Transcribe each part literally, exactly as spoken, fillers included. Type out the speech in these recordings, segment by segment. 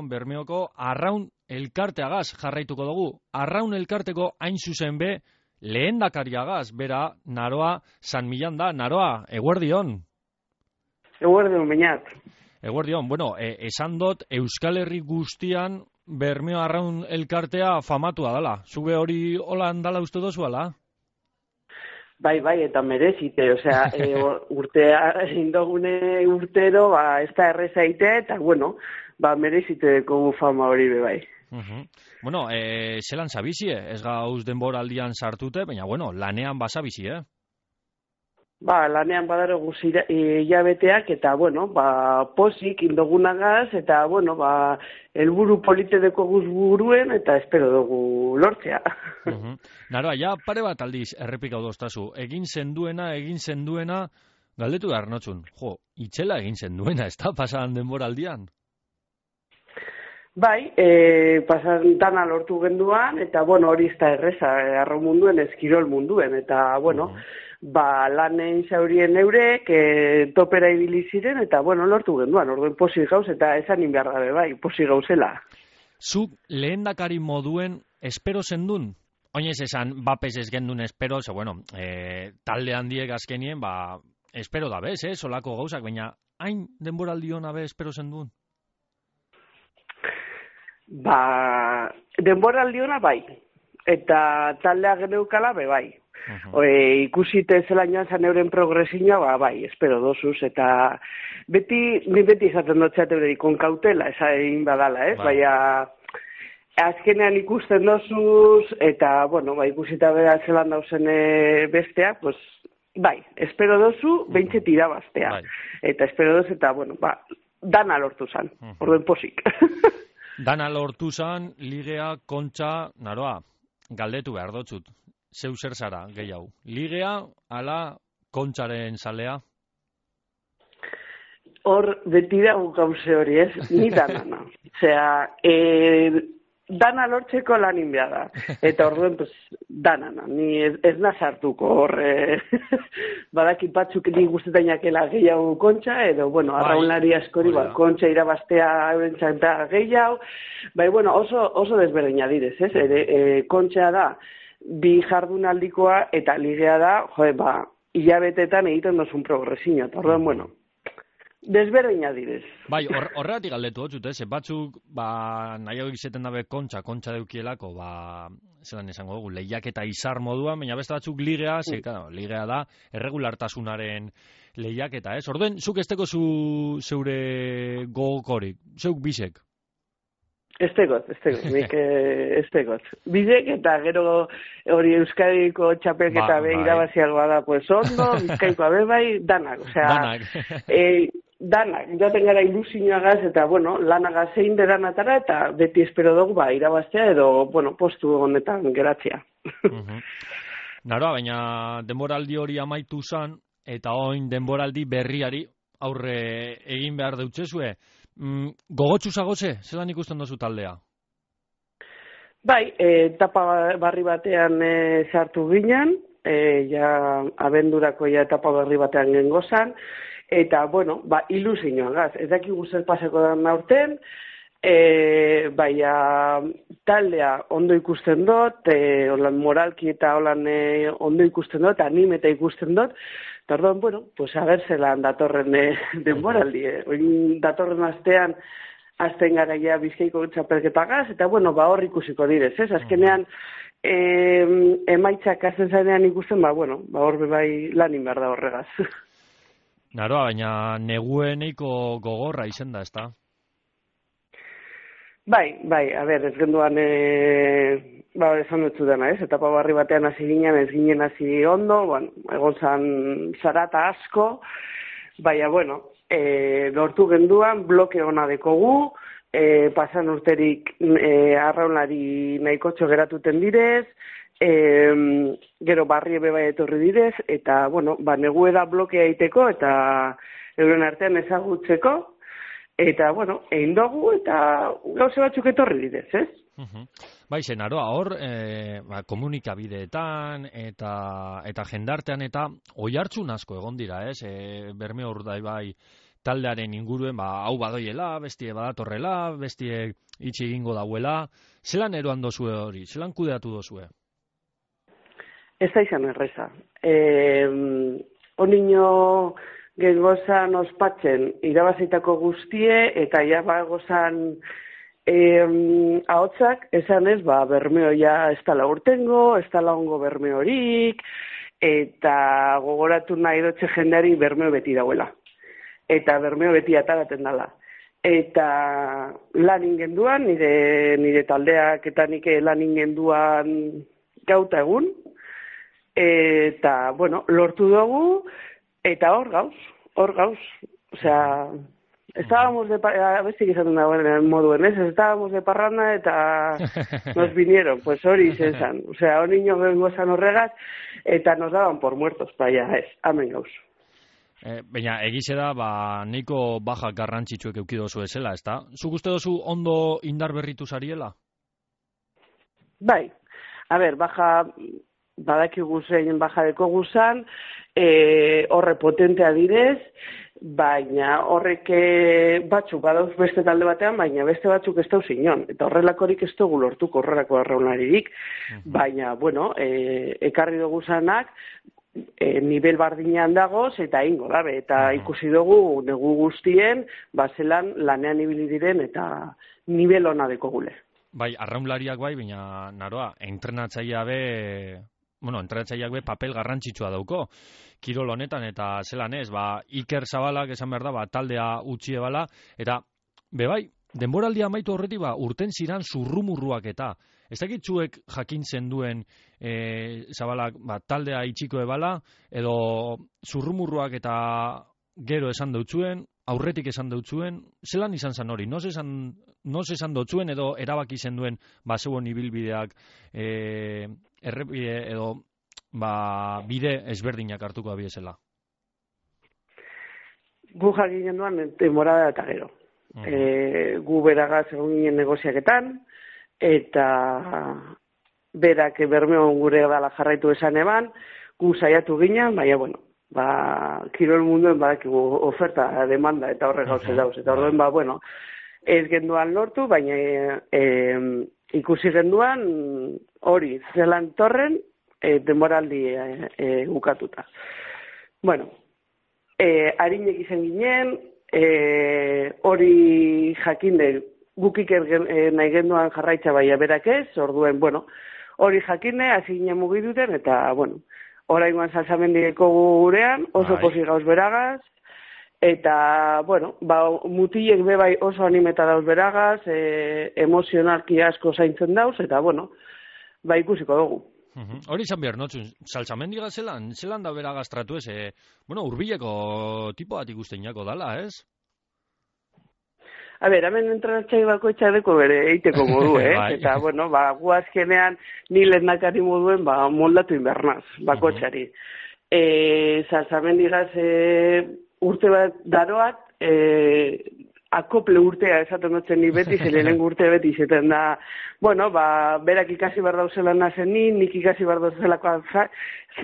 Bermeoko Arraun elkarteagaz jarraituko dugu. Arraun elkarteko hain zuzen be, lehendakariagaz, bera, Naroa San Millan da. Naroa, eguerdion. Eguerdion, bainat. Eguerdion, bueno, e, esan dut Euskal Herri guztian Bermeo Arraun elkartea famatua dela. Zube hori holan dala uste dozu ala? Bai, bai, eta merezite, osea, e, urtea indogune urtero, ba, ez da errezaite, eta, bueno, ba, merezite kogu fama hori be bai. Uh-huh. Bueno, e, zelan zabizie, ez gauz denboraldian sartute, baina, bueno, lanean basabizi, eh? Ba, lanean badaro guzira hilabeteak, eta, bueno, ba, posik indogunagaz, eta, bueno, ba, helburu politedeko guz buruen, eta espero dugu lortzea. Uh-huh. Naroa, ja pare bat aldiz errepikau doztazu, egin zenduena, egin zenduena, galdetu behar notzun, jo, itxela egin zenduena, ez da pasadan denboraldian? Bai, e, pasan dana lortu genduan, eta, bueno, hori ez da erreza, arro munduen, eskirol munduen, eta, bueno, uh-huh. ba, lanen zaurien eurek, e, topera ibili ziren, eta, bueno, lortu genduan, orduen posik gauz, eta esan inbiar gabe, bai, posik gauzela. Zuk lehendakari moduen espero zendun? Oinez esan, bapes ez gendun espero, ze, bueno, e, talde handiek azkenien, ba, espero da bez, eh, solako gauzak, baina hain denboraldi hona be espero zendun? Ba, denboraldi hona bai, eta taldea geneukala be bai. Uh-huh. E, ikusite zelan joan zan euren progresiñoa, ba, bai, espero dosuz, eta beti, ni beti izaten dutxeat eurei, kon kautela, esa egin badala, ez? Bai. Baina, azkenean ikusten dosuz, eta, bueno, ba, ikusita bera zelan dauzen besteak, pues, bai, espero dozu, behintzet irabaztea. Bai. Eta espero dozu, eta, bueno, ba, dana lortu zan, uh-huh. Orduen posik. Dana lortu zan, ligea, kontxa, Naroa, galdetu behar dotzut. Zeu zer zara, gehiago. Ligea, ala, kontxaren zalea? Hor, beti dago gauze hori, ez? Ni danana. Osea, e, dana lortzeko lan inbea da. Eta orduen, pues, danana. Ni ez, ez nazartuko hor. E, badaki batzuk ni guztetainak gehiago kontxa, edo, bueno, arraunlari askori, ba, kontxa irabaztea eurentzat da gehiago. Bai, bueno, oso, oso desberdina direz, ez? Ere, e, kontxa da, bi jardunaldikoa eta ligea da, joe, ba, hilabetetan egiten dozun progresiño. Eta orduan, bueno, desberdina direz. Bai, horregatik galdetu hotzut, ez? Batzuk, ba, nahiago izeten dabe kontxa, kontxa deukielako, ba, zelan esango dugu, lehiak eta izar moduan, baina beste batzuk ligea, ze, claro, ligea da, erregulartasunaren lehiak eta, ez? Orduen, zuk esteko zu zeure gogokorik, zeuk bisek? Estegot, estegot, nik estegot. Bidek eta gero hori Euskadiko txapelketa ba, be irabaziagoa da, pues ondo, Bizkaikoa be bai, danak, osea, danak. e, danak, joaten gara ilusioagaz eta, bueno, lanagaz zein de danatara eta beti espero dugu, ba, irabaztea edo, bueno, postu honetan geratzea. Uh-huh. Naroa, baina denboraldi hori amaitu zan, eta oin denboraldi berriari aurre egin behar deutzezue. Mm, gogotsu zagoze, zelan ikusten dozu taldea? Bai, e, etapa barri batean e, sartu ginen, e, ja abendurako ja etapa barri batean gengozan, eta, bueno, ba, ilusioan gaz, ez daki guztet paseko da aurten, e, baina taldea ondo ikusten dut, e, holan moralki eta holan e, ondo ikusten dut, animeta ikusten dut. Tardón, bueno, pues a ver zelan datorren eh, denboraldi. Eh. Oin datorren astean, azten gara ja Bizkaiko txapelketagaz, eta bueno, ba hor ikusiko direz, ez? Azkenean, eh, emaitzak azten zainean ikusten, ba bueno, ba hor bai lanin behar da horregaz. Naroa, baina negueneiko gogorra izen da, ez da? Bai, bai, a ber, ez genduan, e, ba, esan dutzu dena, ez? Etapa barri batean hasi ginen, ez ginen hasi ondo, bueno, egon zan zarata asko, baina, bueno, e, lortu genduan, bloke ona dekogu, e, pasan urterik e, arraunlari nahikotxo geratuten direz, e, gero barri ebe bai etorri direz, eta, bueno, ba, negue da blokea egiteko, eta euren artean ezagutzeko, eta, bueno, egin dugu, eta gauze batzuk etorri direz, ez? Uh-huh. Bai, Naroa, hor, e, ba, komunikabideetan, eta eta jendartean, eta oihartzun asko egon dira, ez? E, Bermeo Urdaibai taldearen inguruen, ba, hau badoiela, bestie badatorrela, bestie itxi egingo dauela. Zelan eroan dozue hori? Zelan kudeatu dozue? Ez da izan erreza. Eh, Onino gengozan ospatzen irabazitako guztie, eta ja bagozan eh, ahotsak, esan ez, ba, bermeoia ez tala urtengo, ez tala ongo bermeorik, eta gogoratu nahi dotxe jendeari bermeo beti dauela. Eta bermeo beti ataraten dala. Eta lan ingenduan, nire, nire taldeak eta nik lan ingenduan gauta egun, eta, bueno, lortu dugu, eta hor gauz, hor gauz. Osea, estábamos de parranda, a ver si izaten dagoen moduen, ez? Estábamos de parranda eta nos vinieron, pues hori izan. Osea, hori niño gengozan horregaz, eta nos daban por muertos, baina ez, amen gauz. E, Baina, egize da, ba, neiko baja garrantzitsuek eukidozu ezela, ez da? Zuk uste dozu ondo indar berritu zariela? Bai, a ber, baja, badakigu zein baja deko guzan, e, horre potentea direz, baina horrek batzuk badauz beste talde batean, baina beste batzuk ez dauz inon. Eta horrelakorik ez dugu lortuko horrelako arraunaririk, uh-huh. Baina, bueno, e, ekarri dugu zanak, E, nivel bardinean dagoz eta ingo dabe, eta ikusi dugu negu guztien, bazelan lanean ibili diren eta nivel ona deko gule. Bai, arraunlariak bai, baina naroa, entrenatzailea be, bueno, entrenatzaileak be papel garrantzitsua dauko, kirol honetan, eta zelan ez, ba, Iker Zabalak esan behar da, ba, taldea utxie bala, eta, be bai, denboraldia amaitu horretik, ba, urten ziran zurrumurruak eta, ez dakit zuek jakintzen duen e, Zabalak ba, taldea itxiko ebala, edo zurrumurruak eta gero esan dautzuen, aurretik esan dautzuen, zelan izan zan hori? Noz esan, noz esan dautzuen edo erabaki zen duen ba, zeuen ibilbideak e, errepide edo ba, bide ezberdinak hartuko abiezela? Gu jakinen duan temporada eta gero. Uh-huh. E, gu beragaz egon ginen negoziaketan, eta berak bermeon gure dala jarraitu esan eban, gu saiatu ginen, baina, bueno, ba, kirol munduen badakigu oferta, demanda, eta horre gauze dauz, eta horren, ba, bueno, ez genduan lortu, baina e, ikusi genduan hori, zelan torren, e, denboraldi e, e, ukatuta. Bueno, e, harinek izan ginen, e, hori jakinde, gukik e, nahi genduan jarraitza baina berak ez, orduen, bueno, hori jakine, hasi ginen mugiduten, eta, bueno, oraingoan salsamendiko gurean, oso posi gauz beragaz, eta, bueno, ba, mutilek bebai oso animeta dauz beragaz, e, emozionalki asko zaintzen dauz, eta, bueno, ba, ikusiko dugu. Uh-huh. Hori izan behar notzun, salsamendiga zelan, zelan da beragaz tratu ez, e, bueno, urbileko tipo bat ikusten jako dala, ez? A ber, hemen entrenatxai bako etxareko bere eiteko modu, eh? Eta, bueno, ba, guazkenean ni lehendakari moduen, ba, moldatu inbernaz, bako etxari. Uh-huh. E, Salsamendigaz e, urte bat daroat, e, akople urtea esaten dutzen ni beti, zelenen urte beti izaten da, bueno, ba, berak ikasi behar dauzela nazen ni, nik ikasi behar dauzelako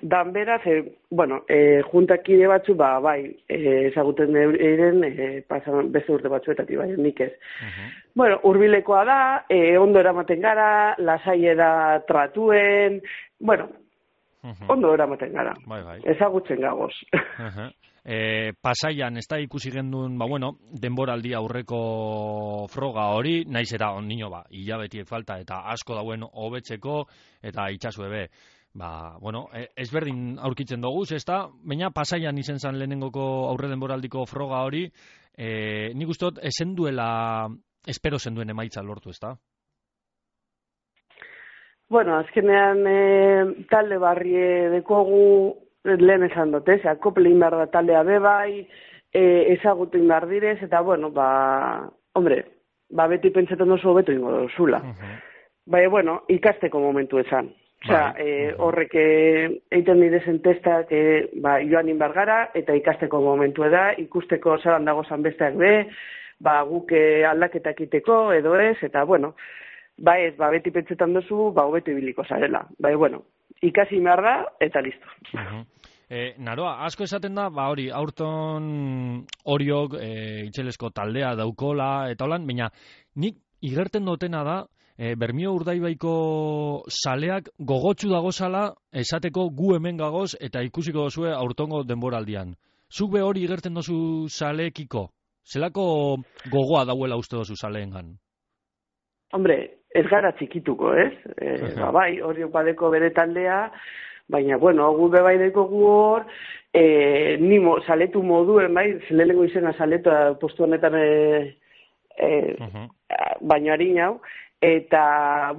dan beraz, e, bueno, e, juntakide batzu, ba, bai, e, ezaguten eiren, e, pasan beste urte batzuetatik, bai, nik ez. Uh-huh. Bueno, hurbilekoa da, e, ondo eramaten gara, lasai da tratuen, bueno, uh-huh. Ondo eramaten gara, bai, bai. Ezagutzen gagoz. Uh-huh. E, pasaian, ez da ikusi gendun, ba, bueno, denboraldi aurreko froga hori, naiz eta ondino, ba, hilabetiek falta, eta asko dauen hobetzeko, eta itxasu ebe, ba, bueno, e, ezberdin aurkitzen dugu, ez da, baina pasaian izen zan lehenengoko aurre denboraldiko froga hori, e, nik ustot, esen duela, espero zen duen emaitza lortu, ez da? Bueno, azkenean, e, talde barrie dekogu, lehen esan dut, ez, akoplein behar da taldea bebai, e, ezagutin behar direz, eta, bueno, ba, hombre, ba, beti pentsetan oso beto ingo dozula. Uh-huh. Baina, bueno, ikasteko momentu esan. Osea, e, horrek egiten direzen testak e, ba, joan inbar gara, eta ikasteko momentu da, ikusteko zelan dago zan besteak be, ba, guk aldaketak iteko, edo ez, eta, bueno, ba ez, ba, beti pentsetan duzu, ba, hobeto ibiliko zarela. Bai, bueno, ikasi behar da, eta listo. Uh-huh. E, naroa, asko esaten da, ba hori, aurton horiok e, itxelesko taldea daukola, eta holan, baina nik igerten dutena da, e, Bermio Urdaibaiko saleak gogotsu dagozala esateko gu hemen gagoz eta ikusiko dozue aurtongo denboraldian. Zuk be hori igerten dozu saleekiko? Zelako gogoa dauela uste dozu saleengan? Hombre, ez gara txikituko, ez? E, ba, bai, hori badeko bere taldea, baina, bueno, gu bebaideko gu hor, e, ni mo, saletu moduen, bai, lehenengo izena saletu postu honetan e, e, uh-huh. baino harin hau, eta,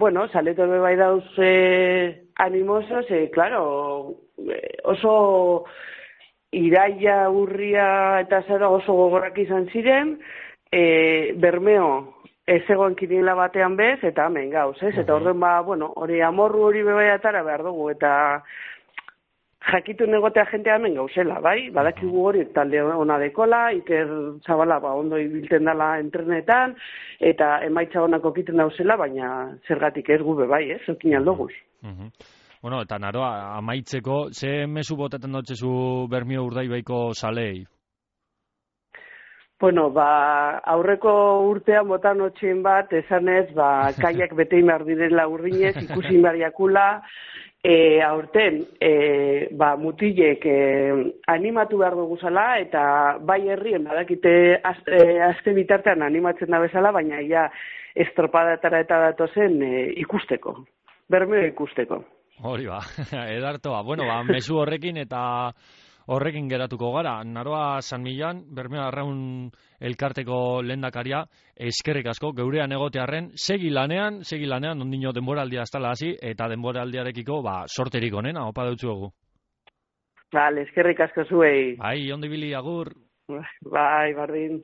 bueno, saletu bebai dauz e, animosos, e, claro, oso iraia, urria eta zara oso gogorrak izan ziren, e, Bermeo ez egoen kiniela batean bez, eta hemen gauz, ez? Eta orden ba, bueno, hori amorru hori bebaiatara behar dugu, eta jakitu negotea jentea hemen gauzela, bai? Badakigu hori talde ona dekola, Iker Zabala ba, ondo ibilten dela entrenetan, eta emaitza onako kiten dauzela, baina zergatik ez gube, bai, ez? Zokin aldoguz. Uh-huh. Bueno, eta naroa, amaitzeko, ze mezu botaten dutzezu Bermio Urdaibaiko salei? Bueno, ba, aurreko urtean botan otxien bat, esanez, ba, kaiak betein behar direla urdinez, ikusi bariakula, e, aurten, e, ba, mutilek e, animatu behar dugu zala, eta bai herrien badakite azte, azte bitartean animatzen da bezala, baina ja estropadatara eta datozen e, ikusteko, Bermeo ikusteko. Hori ba, edartoa. Bueno, ba, mezu horrekin eta horrekin geratuko gara. Naroa San Millan, Bermeo Arraun elkarteko lehendakaria, eskerrik asko, geurean egotearren, segi lanean, segi lanean, ondino denboraldia astala hasi, eta denboraldiarekiko, ba, sorterik onena, opa dutzuegu. Vale, eskerrik asko zuei. Bai, ondo ibili, agur. Bai, bardin.